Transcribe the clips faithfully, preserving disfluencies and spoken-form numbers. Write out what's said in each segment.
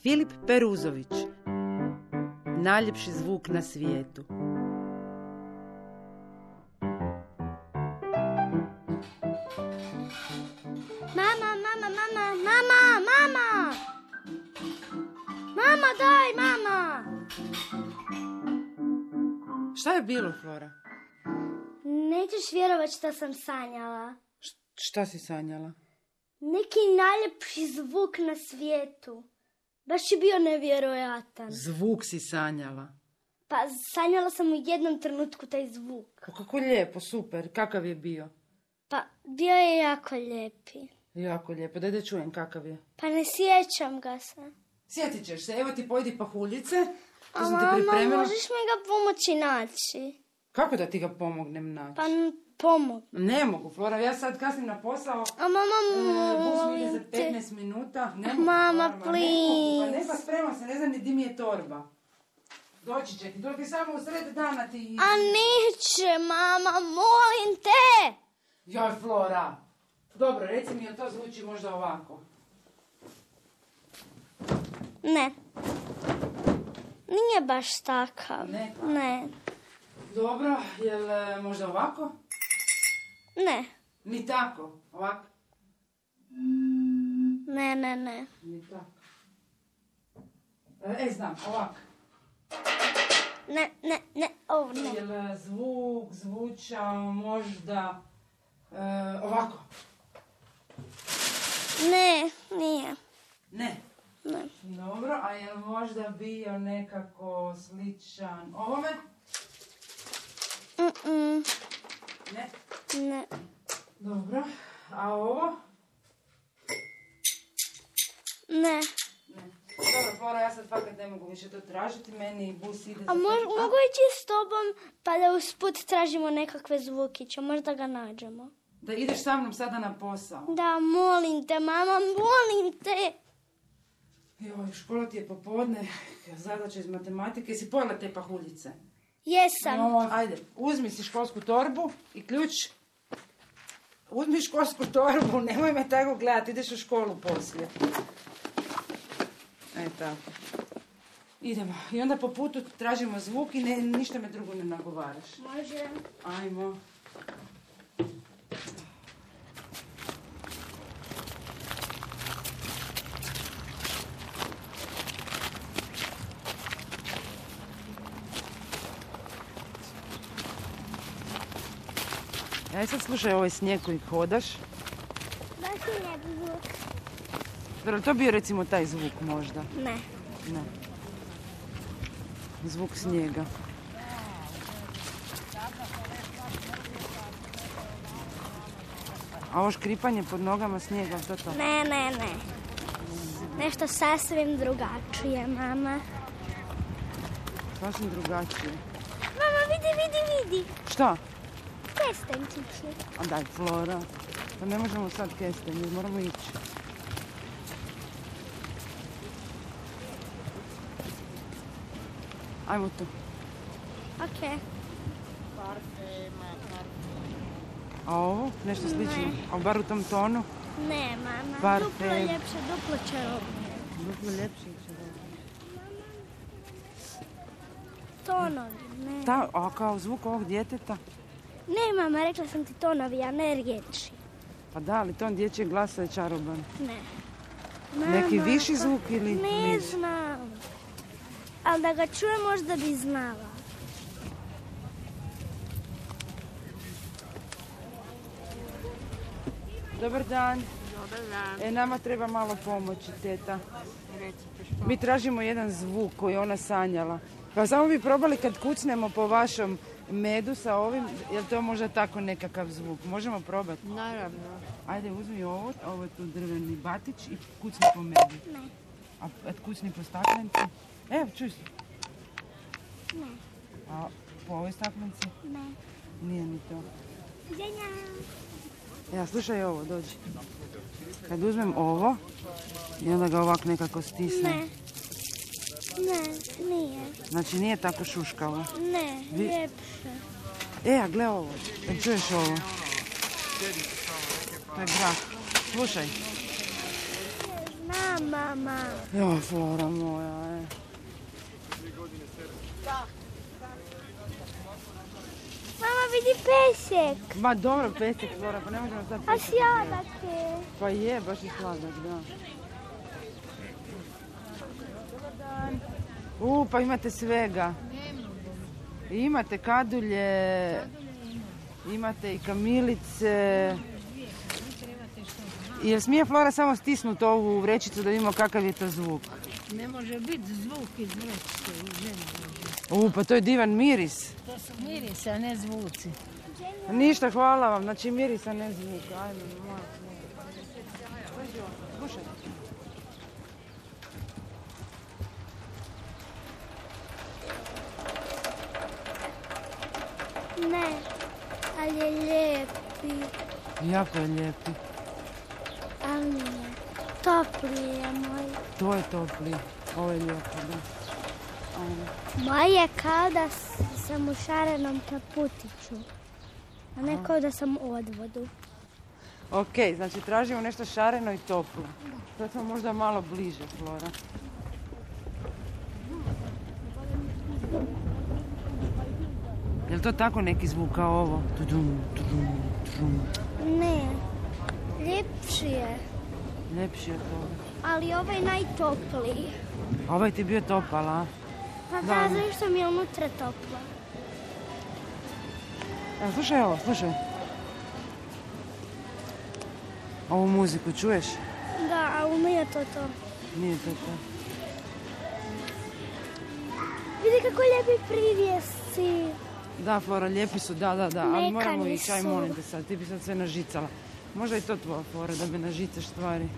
Filip Peruzović. Najljepši zvuk na svijetu. Mama, mama, mama, mama, mama! Mama, daj, mama! Šta je bilo, Flora? Nećeš vjerovat što sam sanjala. Š- šta si sanjala? Neki najljepši zvuk na svijetu. Baš je bio nevjerojatan. Zvuk si sanjala. Pa sanjala sam u jednom trenutku taj zvuk. Pa kako lijepo, super. Kakav je bio? Pa bio je jako lijepi. Jako lijepo. Daj da čujem kakav je. Pa ne sjećam ga se. Sjetit ćeš se. Evo ti pojedi pahuljice. To A sam ti mama, pripremila. možeš mi ga pomoći naći? Kako da ti ga pomognem naći? Pa n- pomog. Ne mogu, Flora. Ja sad kasnim na posao. A mama, Bus mi ide molim za te. petnaest minuta. Ne mogu, Mama, Flora, ma ne mogu. Pa ne, please. pa spremam se. Ne znam ni di mi je torba. Doći će ti. Doći samo u sred dana ti... A neće, mama, molim te! Joj, Flora. Dobro, reci mi, jel to zvuči možda ovako? Ne. Nije baš takav. Ne. Ne. Dobro, jel e, možda ovako? Ne. Ni tako. Ovako? Ne, ne, ne. Ni tako. E, znam, ovako. Ne, ne, ne, ovo ne. Jel e, zvuk zvučao možda e, ovako? Ne, nije. Ne. Ne. Dobro, a jel možda bio nekako sličan ovome? Mm-mm. Ne. Ne. Dobro, a ovo? Ne. Ne. Dobro, Flora, ja sad fakat ne mogu više to tražiti, meni bus ide za A mož, pet- mogu ići s tobom pa da usput tražimo nekakve zvukiće, možda ga nađemo. Da ideš sa mnom sada na posao. Da, molim te, mama, molim te. Joj, škola ti je popodne, zadaća iz matematike, si pojela te pahuljice? Jesam. Joj, ajde, uzmi si školsku torbu i ključ. Uzmi školsku torbu, nemoj me tako gledati, ideš u školu poslije. E, tako. Idemo. I onda po putu tražimo zvuk i ne, ništa me drugo ne nagovaraš. Može. Ajmo. Aj sad slušaj ovaj snijeg koji hodaš. Baš je lijep zvuk. Dobro, to bio recimo taj zvuk možda. Ne. Ne. Zvuk snijega. A ovo škripanje pod nogama snijega, to to? Ne, ne, ne. Nešto sasvim drugačije, mama. Sasvim drugačije. Mama, vidi, vidi, vidi. Šta? Kestenčići. A daj, Flora. Pa ne možemo sad kestenje, moramo ići. Ajmo tu. Okej. A ovo? Nešto slično? Ne. A bar u tom tonu? Ne, mama. Parfem. Duplo ljepše, duplo čarobnije. Duplo ljepše će. Tonovi, ne. Ta, a kao zvuk ovog djeteta? Ne, mama, rekla sam ti tonovi, a ne riječi. Pa da, ali ton dječjeg glasa je čaroban. Ne. Neki Mama, viši pa- zvuk ili Ne niži? znam. Ali da ga čujem možda bi znala. Dobar dan. Dobar dan. E, nama treba malo pomoći, teta. Mi tražimo jedan zvuk koji je ona sanjala. Pa samo bi probali kad kucnemo po vašom medu sa ovim, je li to možda tako nekakav zvuk? Možemo probati? Naravno. Ajde, uzmi ovo, ovo je tu drveni batić i kucni po medu. Ne. A a kucni po staklenci. Evo, čuj se. Ne. A po ovoj staklenci? Ne. Nije ni to. Ženja. Ja, slušaj ovo, dođi. Kad uzmem ovo i onda ga ovak nekako stisnem. Ne. Ne, nije. Znači nije tako šuškavo. Ne, Vi- ljepše. E, a gle ovo. Jel čuješ ovo? To je grah. Slušaj. Na, mama. Jo, Flora moja, e. Mama, vidi pesek. Ma dobro, pesek, Flora, pa ne možemo sad A pesek. sladak je. Pa je, baš je sladak, da. U, pa imate svega. Imate kadulje, imate i kamilice. Jel smije Flora samo stisnuti ovu vrećicu da vidimo kakav je to zvuk? Ne može biti zvuk iz vrećice i žena može. U, pa to je divan miris. To su mirisi, a ne zvuci. Ništa, hvala vam. Znači miris, a ne zvuk. Ajme, moja. Slušaj. Ne, ali je lijepi. Jako je lijepi. Ali nije. Topli je moj. To je topli. Ovo je lijepo, da. Ajme. Moj je kao da s- sam u šarenom kaputiću. A ne kao da sam u odvodu. Ok, znači tražimo nešto šareno i toplo. Sad smo možda malo bliže, Flora. Je li to tako neki zvuk kao ovo? Tudum, tudum, tudum. Ne, ljepši je. Ljepši je to. Ali ovaj najtopliji. A ovaj ti je bio topal, a? Pa Da. da, zašto mi je unutra toplo? Evo, slušaj ovo, slušaj. Ovu muziku čuješ? Da, ali nije to to. Nije to to. Vidi kako lijepi privjesci. Da, Flora, lijepi su, da, da, da. Ali Mekani moramo i čaj, su. molim te sad. Ti bi sad sve nažicala. Možda i to tvoja Flora, da me nažicaš stvari.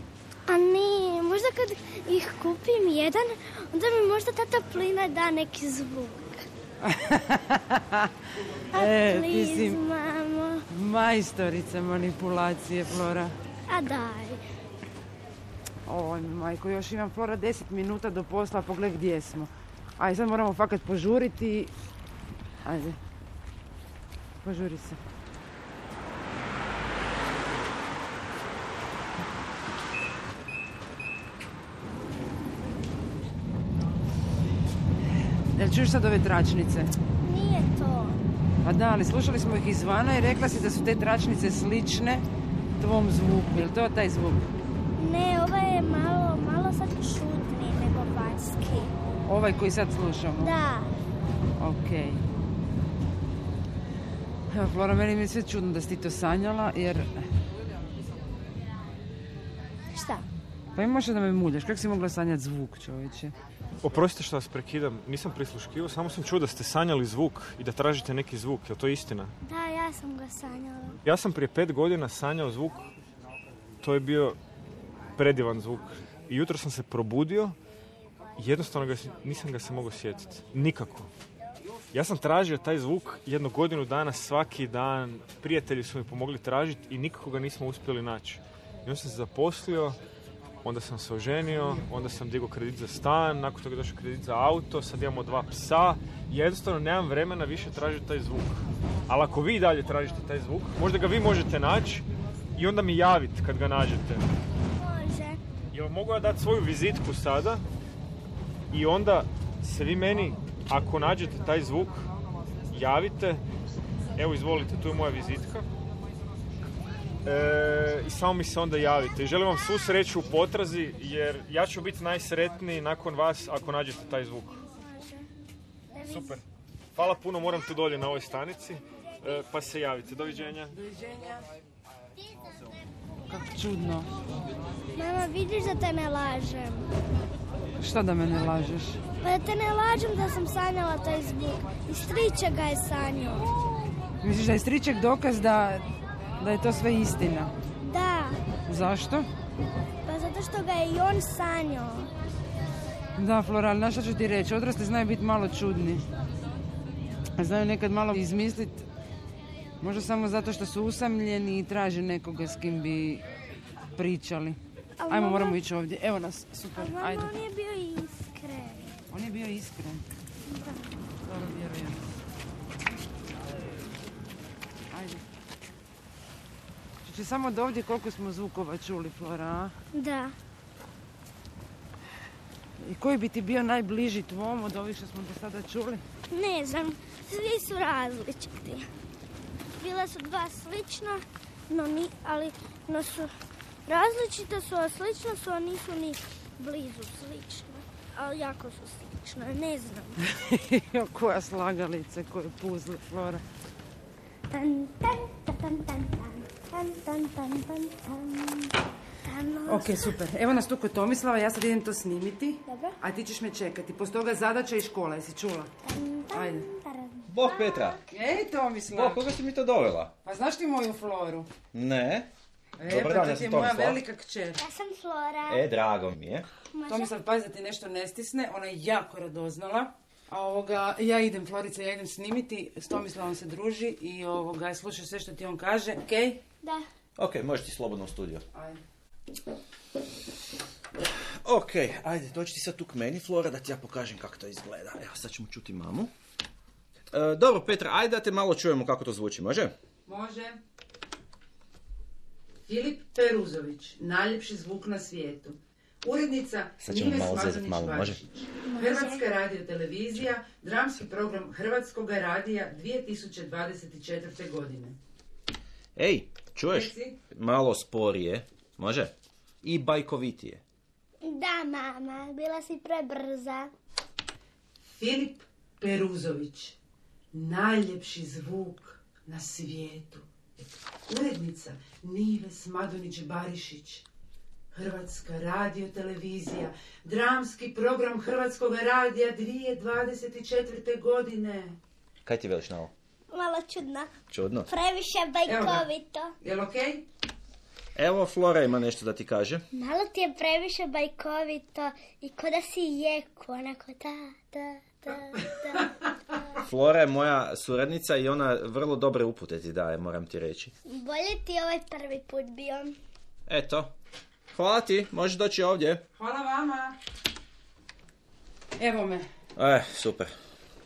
A ne, možda kad ih kupim jedan, onda mi možda ta toplina da neki zvuk. A E, ti please, si mamo. majstorica manipulacije, Flora. A daj. Oj, majko, još imam, Flora, deset minuta do posla, pogledaj gdje smo. Ajde, sad moramo fakat požuriti. Ajde. Požuri se. Jel čuješ sad ove tračnice? Nije to. Pa da, ali slušali smo ih izvana i rekla si da su te tračnice slične tvom zvuku. Je li to taj zvuk? Ne, ovo je malo, malo sad čudniji nego vanjski. Ovaj koji sad slušamo? Da. Okej. Evo, Flora, meni mi je sve čudno da si ti to sanjala, jer... Šta? Pa imaš da me muljaš, kako si mogla sanjati zvuk, čovječe? Oprostite što vas prekidam, nisam prisluškivao, samo sam čuo da ste sanjali zvuk i da tražite neki zvuk, je li to istina? Da, ja sam ga sanjala. Ja sam prije pet godina sanjao zvuk, to je bio predivan zvuk. I jutro sam se probudio i jednostavno ga, si- nisam ga se mogao sjetiti. Nikako. Ja sam tražio taj zvuk jednu godinu dana, svaki dan, prijatelji su mi pomogli tražiti i nikako ga nismo uspjeli naći. I onda sam se zaposlio, onda sam se oženio, onda sam digao kredit za stan, nakon toga je došao kredit za auto, sad imamo dva psa i jednostavno nemam vremena više tražiti taj zvuk. Ali ako vi dalje tražite taj zvuk, možda ga vi možete naći i onda mi javiti kad ga nađete. Može. Jel mogu ja dati svoju vizitku sada i onda se vi meni, ako nađete taj zvuk, javite. Evo, izvolite, tu je moja vizitka. E, I samo mi se onda javite. I želim vam svu sreću u potrazi, jer ja ću biti najsretniji nakon vas ako nađete taj zvuk. Super. Hvala puno, moram tu dolje na ovoj stanici, e, pa se javite. Doviđenja. Doviđenja. Kako čudno. Mama, vidiš da te ne lažem. Šta da me ne lažeš? Pa da te ne lažem da sam sanjala taj zvuk. I striče ga je sanjao. Misliš da je striček dokaz da, da je to sve istina? Da, Zašto? pa zato što ga je i on sanjao. Da, Flora, ali znaš šta ću ti reći? Odrasli znaju biti malo čudni. Znaju nekad malo izmisliti, možda samo zato što su usamljeni i traže nekoga s kim bi pričali. Ali Ajmo, mama- moramo ići ovdje. Evo nas, super, A mama, ajde. on je bio iskren. On je bio iskren. Dobro, vjerujem. Ajde. Čuće samo do ovdje koliko smo zvukova čuli, Flora, a? Da. I koji bi ti bio najbliži tvom od ovih što smo do sada čuli? Ne znam, svi su različiti. Bila su dva slična, no ni, ali no su različita su, a slična su, a nisu ni blizu slične. Ali jako su slične, ne znam. Jo, koja slagalica, koje puzle, Flora. Tan, tan, tan, tan, tan, tan, tan, tan, tan, tan. Ok, super. Evo nas tu kod Tomislava, ja sad idem to snimiti. Dobro. A ti ćeš me čekati. Posto toga zadaća i škola, jesi čula? Ajde. Bog Petra. Ej, Tomislav. Bog, koga si mi to dovela? Pa znaš ti moju Floru? Ne. E, Dobar pa dan, to ja ti je sam moja Tomislav. velika kćer. Ja sam Flora. E, drago mi je. Tomislav, pazi da ti nešto ne stisne, ona je jako radoznala. A ovoga, ja idem, Florica, ja idem snimiti, s Tomislavom se druži i ovoga, slušaj sve što ti on kaže, okej? Okay? Da. Ok, možeš ti slobodno u studio. Ajde. Ok, ajde, dođi ti sad tu k meni, Flora, da ti ja pokažem kako to izgleda. Evo, sad ćemo čuti mamu. E, dobro, Petra, ajde da te malo čujemo kako to zvuči, može? Može. Filip Peruzović, najljepši zvuk na svijetu. Urednica Sad ćemo Nive malo zezat, Smazunić malo, može? Bašić. Hrvatska radiotelevizija, dramski program Hrvatskog radija dvije tisuće dvadeset četvrte. godine. Ej, čuješ? Reci. Malo sporije, može? I bajkovitije. Da, mama, bila si prebrza. Filip Peruzović, najljepši zvuk na svijetu. Urednica Nive Smazunić Barišić. Hrvatska radiotelevizija, dramski program Hrvatskog radija dvije tisuće dvadeset četvrte. godine. Kaj ti veliš na ovo? Malo čudno. Čudno. Previše bajkovito. Jel okej? Evo, Flora ima nešto da ti kaže. Malo ti je previše bajkovito i ko da si jeku, onako da, da, da, da. Flora je moja suradnica i ona vrlo dobre upute ti daje, moram ti reći. Bolje ti ovaj prvi put bio. Eto. Hvala ti, možeš doći ovdje. Hvala vama. Evo me. E, super.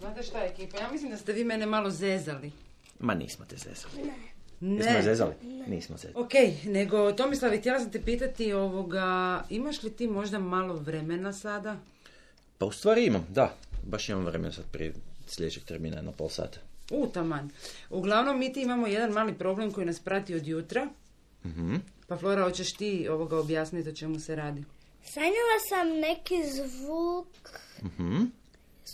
Znate šta je, ekipa? Ja mislim da ste vi mene malo zezali. Ma nismo te zezali. Ne. Nismo je zezali? Nismo zezali. Ok, nego Tomislav, htjela sam te pitati ovoga, imaš li ti možda malo vremena sada? Pa u stvari imam, da. Baš imam vremena sad prije sljedećeg termina, jedno pol sata. U, taman. Uglavnom, mi ti imamo jedan mali problem koji nas prati od jutra. Mhm. Pa Flora, hoćeš ti ovoga objasniti o čemu se radi? Sanjala sam neki zvuk, Mhm.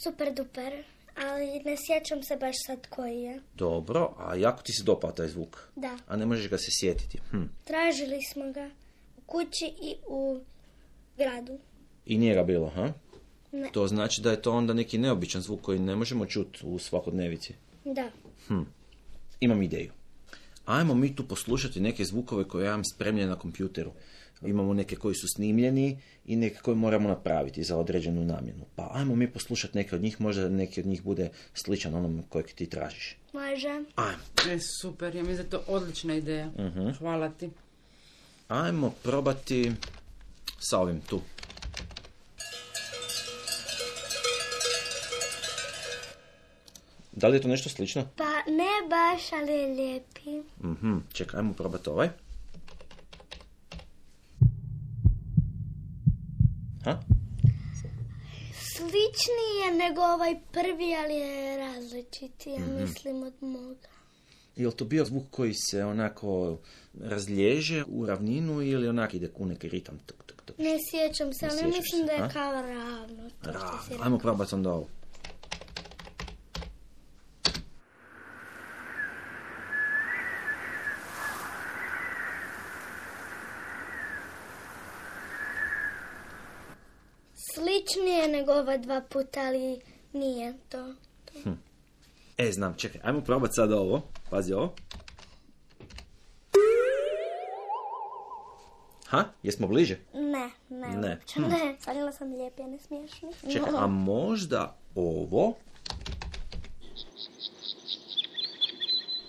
super duper, ali ne sjećam se baš sad koji je. Dobro, a jako ti se dopao taj zvuk? Da, A ne možeš ga se sjetiti? Hm. tražili smo ga u kući i u gradu. I nije ga bilo, ha? Ne. To znači da je to onda neki neobičan zvuk koji ne možemo čuti u svakodnevici. Da. Hm. Imam ideju. Ajmo mi tu poslušati neke zvukove koje ja imam spremljene na kompjuteru. Imamo neke koji su snimljeni i neke koje moramo napraviti za određenu namjenu. Pa ajmo mi poslušati neke od njih, možda neki od njih bude sličan onom kojeg ti tražiš. Može. Ajmo. E, super, ja mislim da je to odlična ideja. Mhm. Hvala ti. Ajmo probati sa ovim tu. Da li je to nešto slično? Pa ne baš, ali je lijepi. Mhm, čekaj, ajmo probati ovaj. Ha? Sličniji je nego ovaj prvi, ali je različiti, ja mislim, od moga. Je li to bio zvuk koji se onako razliježe u ravninu ili onak ide u neki ritam? Tuk, tuk, tuk. Ne sjećam se, Ne ali sjećaš mislim se, da je a? kao ravno. To što si Ravno. rekao. Ajmo probati onda ovo. Sličnije je nego ova dva puta, ali nije to. E, znam, čekaj, ajmo probati sad ovo. Pazi ovo. Ha? Jesmo bliže? Ne, ne. Ne. uopće Ne, sanjala sam lijepi, a ne smiješni. Čekaj, a možda ovo?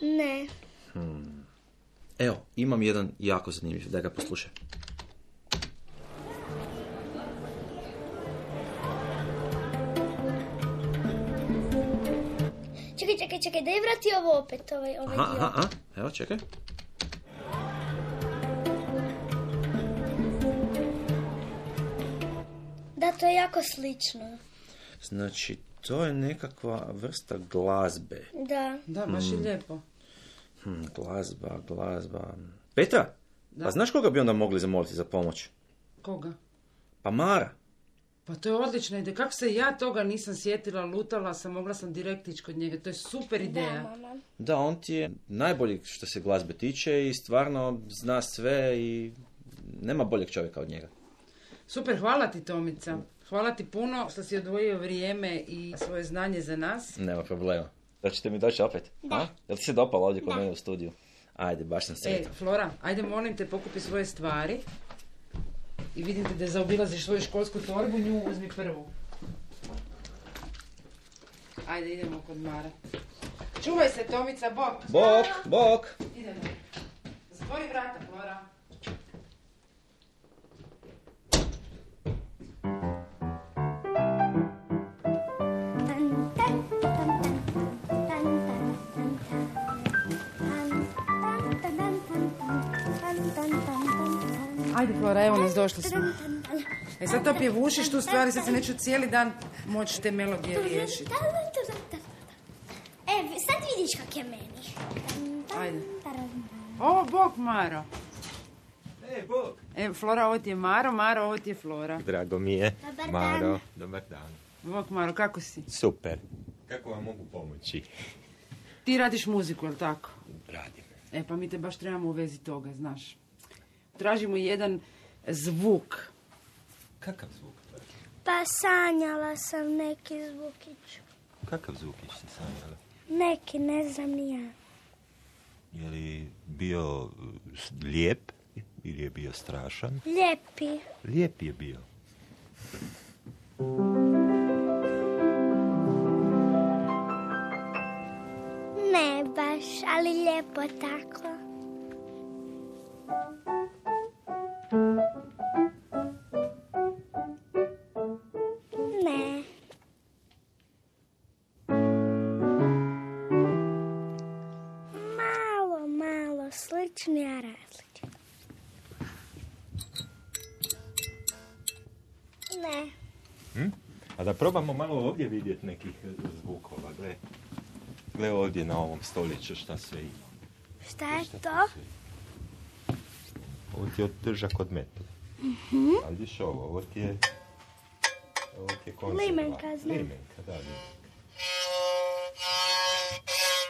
Ne. Evo, imam jedan jako zanimljiv, da ga poslušaj. Čekaj, čekaj, čekaj, daj vrati ovo opet, ovaj, ovaj Aha, dio. aha, aha, evo, čekaj. Da to je jako slično. Znači, to je nekakva vrsta glazbe. Da. Da, baš je lijepo. Hm, glazba, glazba... Petra, Da. pa znaš koga bi onda mogli zamoliti za pomoć? Koga? Pa Mara. Pa to je odlična ideja. Kako se ja toga nisam sjetila, lutala sam, mogla sam direkt ići kod njega. To je super ideja. Da, mama. Da, on ti je najbolji što se glazbe tiče i stvarno zna sve i nema boljeg čovjeka od njega. Super, hvala ti Tomica. Hvala ti puno što si odvojio vrijeme i svoje znanje za nas. Nema problema. Da ćete mi doći opet? Da. A? Jel ti se dopalo ovdje kod mene u studiju? Ajde, baš sam E, sretan. Flora, ajde molim te, pokupi svoje stvari. I vidim te da zaobilaziš svoju školsku torbu, nju uzmi prvu. Ajde, idemo kod Mare. Čuvaj se, Tomica, bok. Bok, bok! Idemo. Zatvori vrata, Flora. Tan, tan, tan, tan, tan, tan, tan, tan, tan, tan, tan, tan, tan, tan. Ajde, Flora, evo nas, došli smo. Tan, tan, tan. E sad to pjevušiš tu stvari, sad se neću cijeli dan moći te melodije riješiti. Tan, tan, tan, tan. E, sad vidiš kak je meni. Tan, tan, Ajde. tan, tan. Ovo, bok, Maro. E, Bog! E, Flora, ovo ti je Maro, Maro, ovo ti je Flora. Drago mi je. Dobar Maro, dan. dobar dan. Bok, Maro, kako si? Super. Kako vam mogu pomoći? Ti radiš muziku, jel tako? Radim. E, pa mi te baš trebamo u vezi toga, znaš. Tražimo jedan zvuk. Kakav zvuk? Pa sanjala sam neki zvukić. Kakav zvukić ste sanjala? Neki, ne znam ni ja. Je li bio lijep ili je bio strašan? Lijepi. Lijep je bio. Ne baš, ali lijepo tako. Ne. Malo, malo slični, a različiti. Ne. Hm? A da probamo malo ovdje vidjeti nekih zvukova. Gle, gle ovdje na ovom stoliću šta sve ima. Šta je Šta to? sve ima. Ovo ti je držak od metle. A vidiš ovo, ovo ti je... Ovo ti je konzerva. Limenka, znam. Limenka, da, limenka.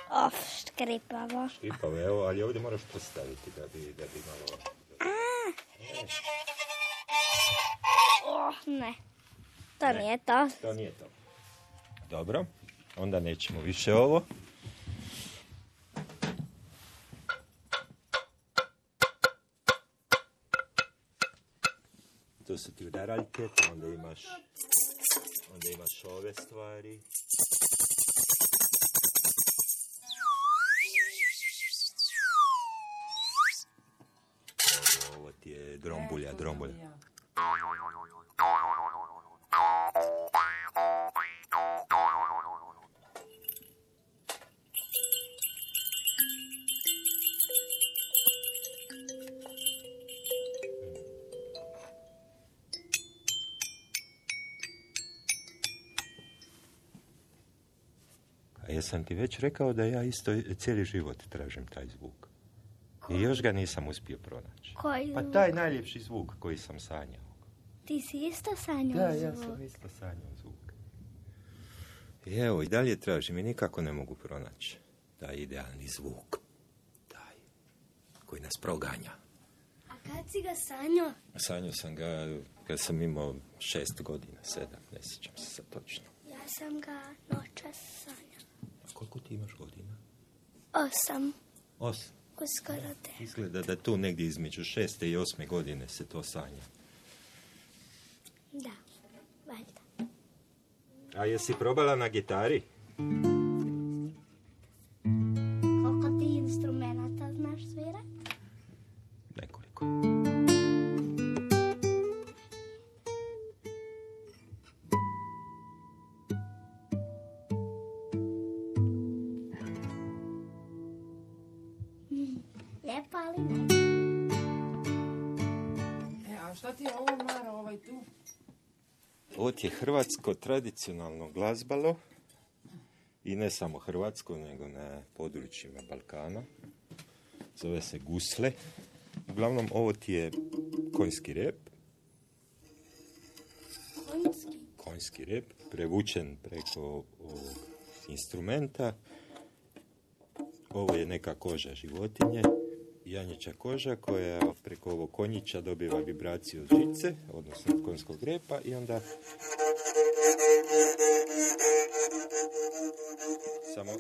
Of, škripavo. Škripavo, evo, ali ovdje moraš postaviti da bi, da bi malo... Oh, ne. To nije to. To nije to. Dobro, onda nećemo više ovo. To su ti udaraljke, onda imaš, onda imaš ove stvari. Ovo, ovo ti je drombulja, drombulja. A jesam ti već rekao da ja isto cijeli život tražim taj zvuk. I još ga nisam uspio pronaći. Koji Pa zvuk? taj najljepši zvuk koji sam sanjao. Ti si isto sanjao Da, ja zvuk. sam isto sanjao zvuk. I evo, i dalje tražim i nikako ne mogu pronaći taj idealni zvuk. Taj koji nas proganja. A kad si ga sanjao? Sanjao sam ga kad sam imao šest godina, sedam, ne sjećam se sad točno. Ja sam ga noćas sanjao. A koliko ti imaš godina? Osam. Osam. Uskoro te. Izgleda da tu negdje između šeste i osme godine se to sanja. Da, valjda. A jesi probala na gitari? Koliko ti instrumenta znaš svirat? Nekoliko. Lijepo, ali ne. E, a šta ti je ovo, Maro, ovaj tu? Ovo je hrvatsko tradicionalno glazbalo i ne samo hrvatsko, nego na područjima Balkana. Zove se gusle. Uglavnom, ovo ti je konjski rep. Konjski. Konjski rep, prevučen preko ovog instrumenta. Ovo je neka koža životinje, janjeća koža koja preko ovog konjića dobiva vibraciju od žice, odnosno od konjskog repa i onda samo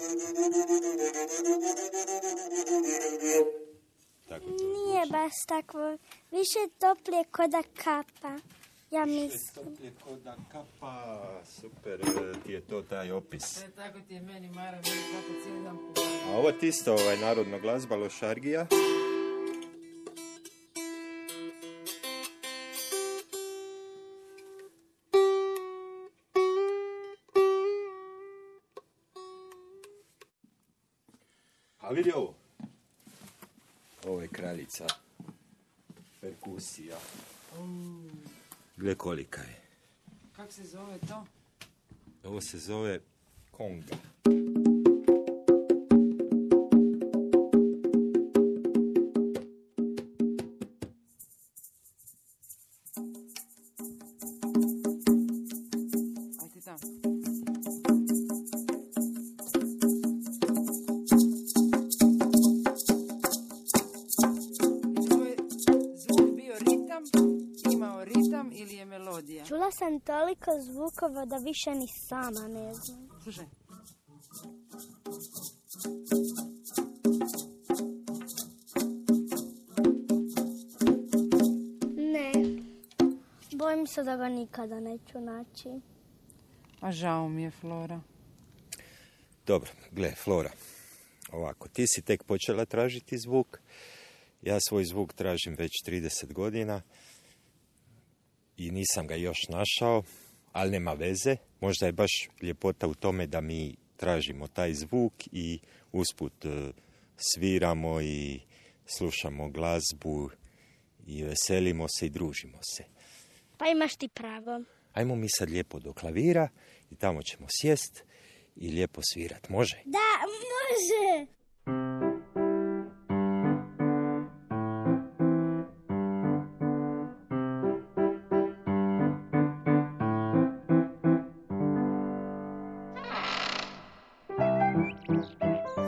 tako to Nije baš takvo. Više toplije ko da kapa. Ja mislim. Toplije ko da kapa, super, ti je to taj opis. E, tako ti je meni, Mara, meni tako cijeli dan puno. A ovo ti isto ovaj narodno glazbalo šargija. A vidi ovo. Ovo je kraljica perkusija. Gle kolika je. Kako se zove to? Ovo se zove konga. Ajde tamo. To je zvuk bio ritam, imao ritam ili je melodija? Čula sam toliko zvukova da više ni sama ne znam. Slušaj. Ne. Bojim se da ga nikada neću naći. A žao mi je, Flora. Dobro, gle, Flora. Ovako, ti si tek počela tražiti zvuk. Ja svoj zvuk tražim već trideset godina i nisam ga još našao, ali nema veze. Možda je baš ljepota u tome da mi tražimo taj zvuk i usput e, sviramo i slušamo glazbu i veselimo se i družimo se. Pa imaš ti pravo. Ajmo mi sad lijepo do klavira i tamo ćemo sjest i lijepo svirat. Može? Da, može.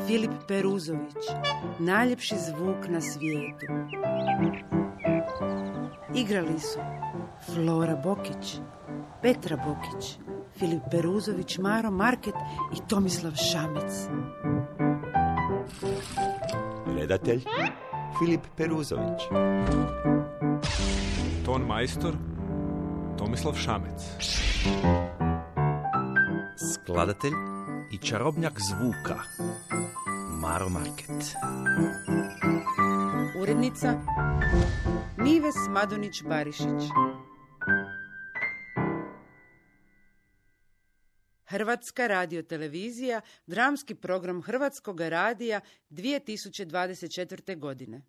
Filip Peruzović, najljepši zvuk na svijetu. Igrali su Flora Bokić, Petra Bokić, Filip Peruzović, Maro Market i Tomislav Šamec. Redatelj Filip Peruzović. Ton majstor Tomislav Šamec. Skladatelj i čarobnjak zvuka Maro Market. Urednica Nives Madonić-Barišić. Hrvatska radiotelevizija, dramski program Hrvatskog radija dvije tisuće dvadeset četvrte godine.